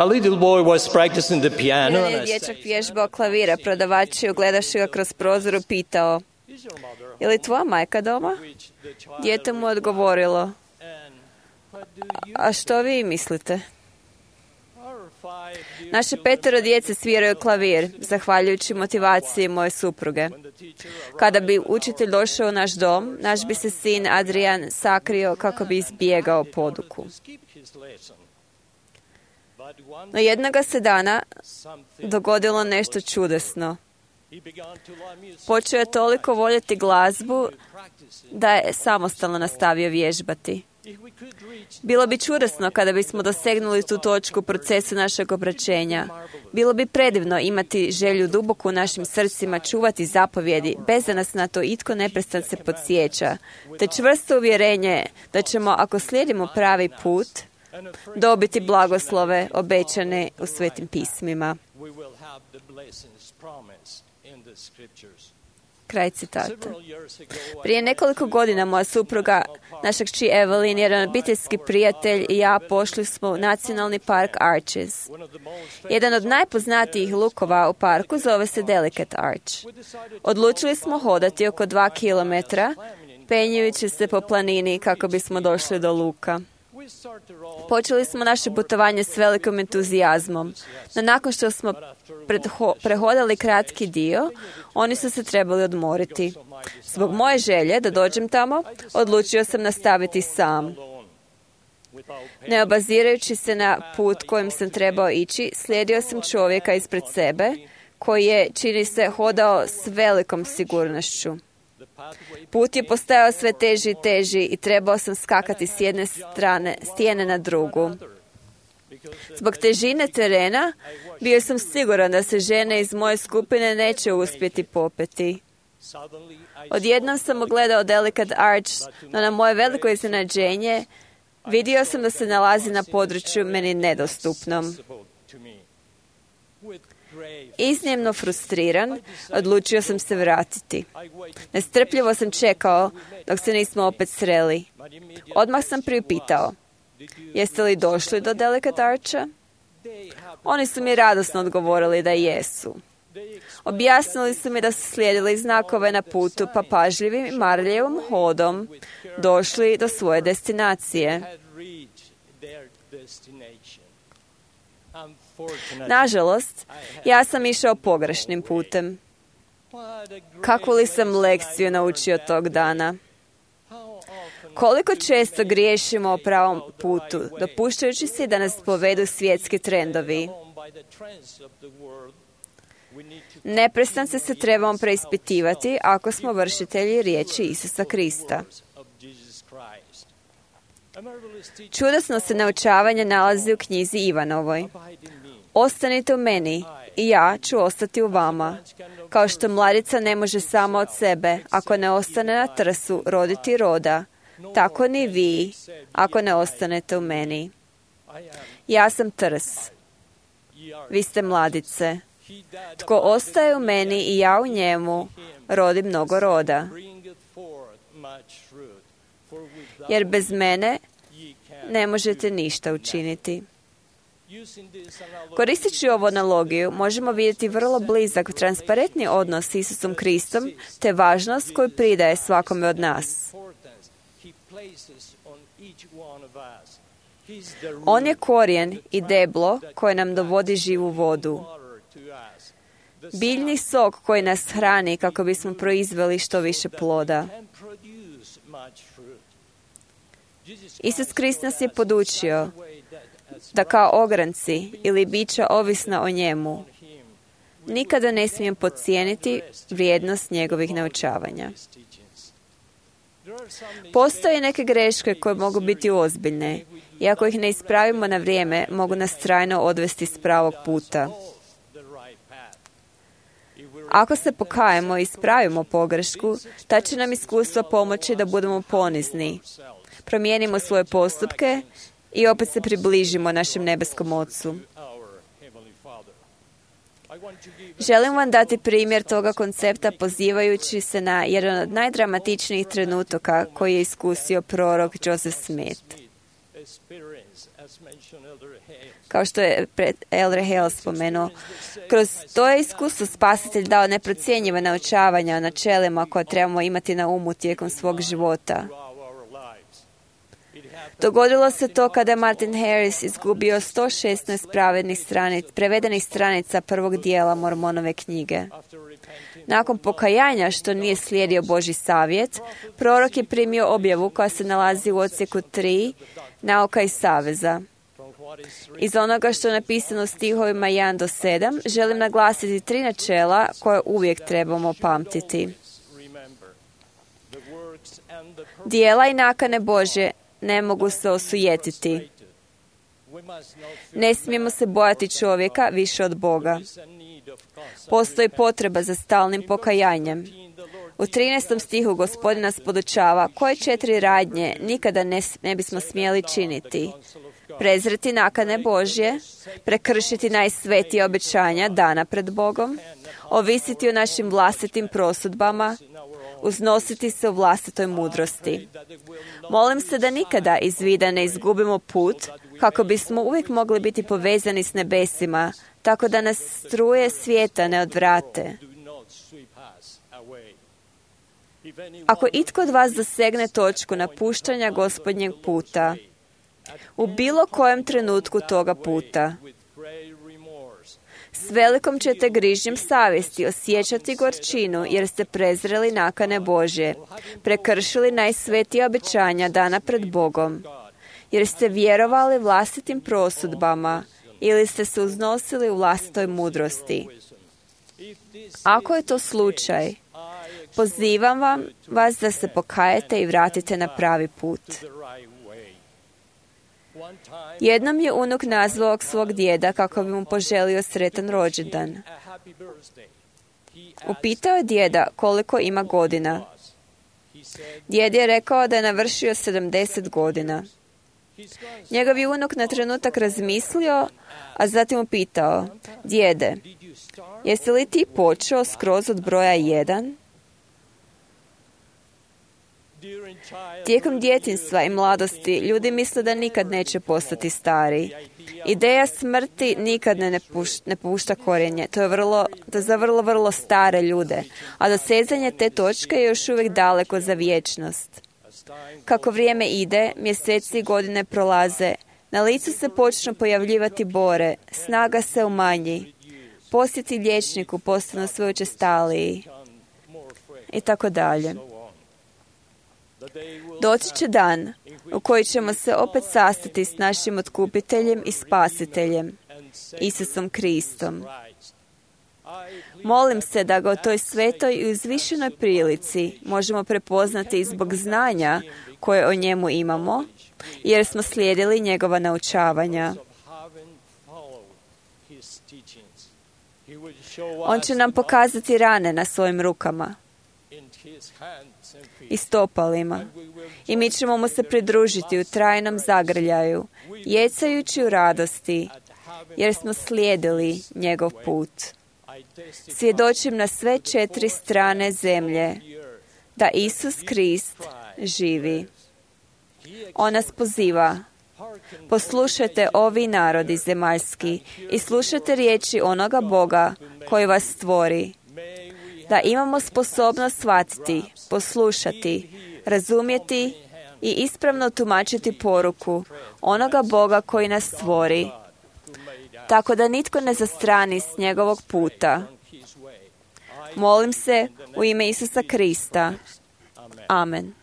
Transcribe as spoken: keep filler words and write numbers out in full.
A little boy was practicing the piano, Jedan and je I dječak said, vježbao klavira, prodavač je ugledavši ga kroz prozor upitao: "Is your mother home?" je li tvoja majka doma? Which the child Dijete mu odgovorilo: and what do you a što vi mislite? Our five dear Naše children, petero djece sviraju klavir, zahvaljujući motivaciji moje supruge. when the teacher arrived, Kada bi učitelj došao u naš dom, naš bi se sin Adrian sakrio kako bi izbjegao poduku. to skip his lesson. But one No jednoga se dana something dogodilo nešto čudesno. he began to love music. Počeo je toliko voljeti glazbu Practicing. da je samostalno nastavio vježbati. If we could reach Bilo bi čudesno kada bismo dosegnuli tu točku u procesu našeg obraćenja. Bilo bi predivno imati želju duboko u našim srcima čuvati zapovjedi, bez da nas na to itko neprestan se podsjeća, te čvrsto uvjerenje da ćemo, ako slijedimo pravi put, and a free dobiti blagoslove obećane u svetim pismima. we will have the blessings promised in the scriptures. Kraj citata. Several years ago, I Prije nekoliko godina moja supruga, naša kći Evelyn, jedan obiteljski prijatelj i ja pošli smo u nacionalni park Arches. one of the most Jedan od najpoznatijih lukova u parku zove se Delicate Arch. Odlučili smo hodati oko dva kilometra, penjujući se po planini kako bismo došli do luka. we started off Počeli smo naše putovanje s velikim entuzijazmom, no nakon što smo predho- prehodali kratki dio, oni su se trebali odmoriti. Zbog moje želje da dođem tamo, odlučio sam nastaviti sam. alone without Ne obazirajući se na put kojim sam trebao ići, slijedio sam čovjeka ispred sebe, koji je, čini se, hodao s velikom sigurnošću. the pathway Put je postajao sve teži i teži i trebao sam skakati s jedne strane stijene na drugu. because Zbog težine terena bio sam siguran da se žene iz moje skupine neće uspjeti popeti. suddenly I Odjednom sam ugledao Delicate Arch, no na moje veliko iznenađenje vidio sam da se nalazi na području meni nedostupnom. saw to me with grave Iznimno frustriran, odlučio sam se vratiti. I waited Nestrpljivo sam čekao dok se nismo opet sreli. but immediately Odmah sam priupitao: did you jeste li došli do Delicate Archa? they have Oni su mi radosno odgovorili da jesu. they Objasnili su mi da su slijedili znakove na putu, pa pažljivim i marljivom hodom došli do svoje destinacije. had reached their destination. Unfortunately, Nažalost, ja sam išao pogrešnim putem. what a great Kakvu li sam lesson lekciju I naučio learned tog that dana? how often Koliko često griješimo o pravom putu, dopuštajući si da nas povedu svjetski trendovi. alone by the trends of the world, we need to Neprestance se trebamo preispitivati ako smo vršitelji riječi Isusa Krista. of Jesus Christ. A marvelous teaching Čudesno se naučavanje nalazi u knjizi Ivanovoj. abide in me. Ostanite u meni i ja ću ostati u vama. Kao što mladica ne može sama od sebe, ako ne ostane na trsu, roditi roda, tako ni vi, ako ne ostanete u meni. I am, Ja sam trs, ye are. vi ste mladice. He that Tko ostaje u meni i ja u njemu, rodi mnogo roda. bringeth forth much fruit, for without Jer bez mene ye can ne možete ništa učiniti. using this analogy, Koristeći ovu analogiju, možemo vidjeti vrlo blizak, transparentni odnos s Isusom Kristom, te važnost koju pridaje svakome od nas. importance he places on each one of us. He's the On je root, korijen i deblo koje nam dovodi živu vodu. water to us. The Biljni sok koji nas hrani kako bismo proizveli što više ploda. can produce much fruit. Jesus Isus Krist nas je podučio way that as da kao ogranci ili bića ovisna o njemu, him nikada ne smijem podcijeniti vrijednost njegovih naučavanja. his teachings. There are some Postoje neke greške koje mogu biti ozbiljne i ako ih ne ispravimo na vrijeme, mogu nas trajno odvesti s pravog puta. off the right path. If we're Ako se pokajemo i ispravimo pogrešku, ta će nam iskustvo pomoći da budemo ponizni. Promijenimo svoje postupke i opet se približimo našem nebeskom Ocu. our Heavenly Father. I want to give Želim vam dati primjer toga koncepta pozivajući se na jedan od najdramatičnijih trenutaka koji je iskusio prorok Joseph Smith. experience kao što je Elder Hale spomenuo. Kroz to je iskustvo Spasitelj dao neprocjenjiva naučavanja o načelima koje trebamo imati na umu tijekom svog života. Dogodilo se to kada je Martin Harris izgubio sto šesnaest pravednih stranic, prevedenih stranica prvog dijela Mormonove knjige. Nakon pokajanja što nije slijedio Božji savjet, prorok je primio objavu koja se nalazi u odsjeku tri, Nauka i saveza. Iz onoga što je napisano u stihovima jedan do sedam, želim naglasiti tri načela koje uvijek trebamo pamtiti. Dijela i nakane Božje ne mogu se osujetiti. Ne smijemo se bojati čovjeka više od Boga. Postoji potreba za stalnim pokajanjem. U trinaestom stihu Gospodin nas podučava koje četiri radnje nikada ne, ne bismo smjeli činiti. Prezreti nakane Božje, prekršiti najsvetija obećanja dana pred Bogom, ovisiti o našim vlastitim prosudbama, uznositi se u vlastitoj mudrosti. Molim se da nikada iz vida ne izgubimo put, kako bismo uvijek mogli biti povezani s nebesima, tako da nas struje svijeta ne odvrate. Ako itko od vas dosegne točku napuštanja Gospodnjeg puta, u bilo kojem trenutku toga puta, s velikom ćete grižnjom savjesti osjećati gorčinu jer ste prezreli nakane Božje, prekršili najsvetija obećanja dana pred Bogom, jer ste vjerovali vlastitim prosudbama ili ste se uznosili u vlastitoj mudrosti. Ako je to slučaj, pozivam vam vas da se pokajete i vratite na pravi put. Jednom je unuk nazvao svog djeda kako bi mu poželio sretan rođendan. Upitao je djeda koliko ima godina. Djed je rekao da je navršio sedamdeset godina. Njegov je unuk na trenutak razmislio, a zatim upitao: djede, jesi li ti počeo skroz od broja jedan? Tijekom djetinjstva i mladosti ljudi misle da nikad neće postati stari. Ideja smrti nikad ne, ne, puš, ne pušta korijenje. To je vrlo, to za vrlo, vrlo stare ljude. A dosezanje te točke je još uvijek daleko za vječnost. Kako vrijeme ide, mjeseci i godine prolaze, na licu se počnu pojavljivati bore, snaga se umanji, posjeti liječniku postanu sve učestaliji i tako dalje. Doći će dan u koji ćemo se opet sastati s našim otkupiteljem i spasiteljem, Isusom Kristom. Molim se da ga u toj svetoj i uzvišenoj prilici možemo prepoznati i zbog znanja koje o njemu imamo, jer smo slijedili njegova naučavanja. On će nam pokazati rane na svojim rukama i stopalima i mi ćemo mu se pridružiti u trajnom zagrljaju, jecajući u radosti, jer smo slijedili njegov put. Svjedočim na sve četiri strane zemlje da Isus Krist živi. On nas poziva: poslušajte ovi narodi zemaljski i slušajte riječi onoga Boga koji vas stvori, da imamo sposobnost shvatiti, poslušati, razumjeti i ispravno tumačiti poruku onoga Boga koji nas stvori, tako da nitko ne zastrani s njegovog puta. Molim se u ime Isusa Krista. Amen.